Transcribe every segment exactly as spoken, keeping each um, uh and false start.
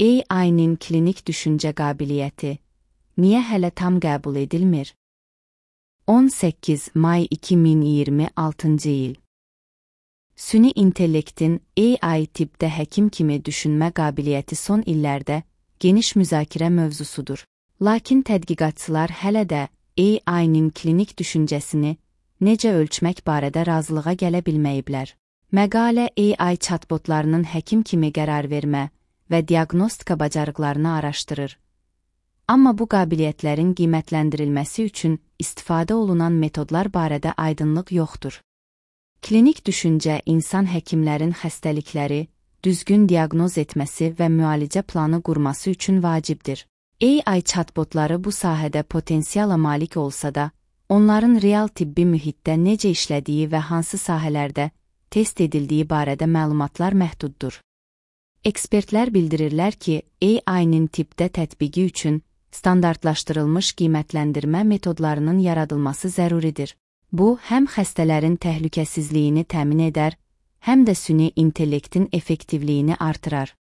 A I-nin klinik düşüncə qabiliyyəti niyə hələ tam qəbul edilmir? on səkkiz may iki min iyirmi altıncı il. Süni intellektin A I tibbdə həkim kimi düşünmə qabiliyyəti son illərdə geniş müzakirə mövzusudur. Lakin tədqiqatçılar hələ də A I-nin klinik düşüncəsini necə ölçmək barədə razılığa gələ bilməyiblər. Məqalə A I chatbotlarının həkim kimi qərar vermə və diaqnostika bacarıqlarını araşdırır. Amma bu qabiliyyətlərin qiymətləndirilməsi üçün istifadə olunan metodlar barədə aydınlıq yoxdur. Klinik düşüncə insan həkimlərin xəstəlikləri düzgün diaqnoz etməsi və müalicə planı qurması üçün vacibdir. A I chatbotları bu sahədə potensiala malik olsa da, onların real tibbi mühitdə necə işlədiyi və hansı sahələrdə test edildiyi barədə məlumatlar məhduddur. Ekspertlər bildirirlər ki, A I-nin tibbdə tətbiqi üçün standartlaşdırılmış qiymətləndirmə metodlarının yaradılması zəruridir. Bu, həm xəstələrin təhlükəsizliyini təmin edər, həm də süni intellektin effektivliyini artırar.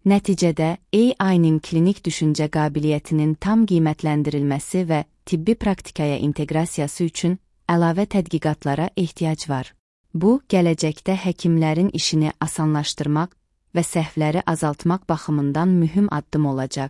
Nəticədə, A I-nin klinik düşüncə qabiliyyətinin tam qiymətləndirilməsi və tibbi praktikaya inteqrasiyası üçün əlavə tədqiqatlara ehtiyac var. Bu, gələcəkdə həkimlərin işini asanlaşdırmaq və səhvləri azaltmaq baxımından mühüm addım olacaq.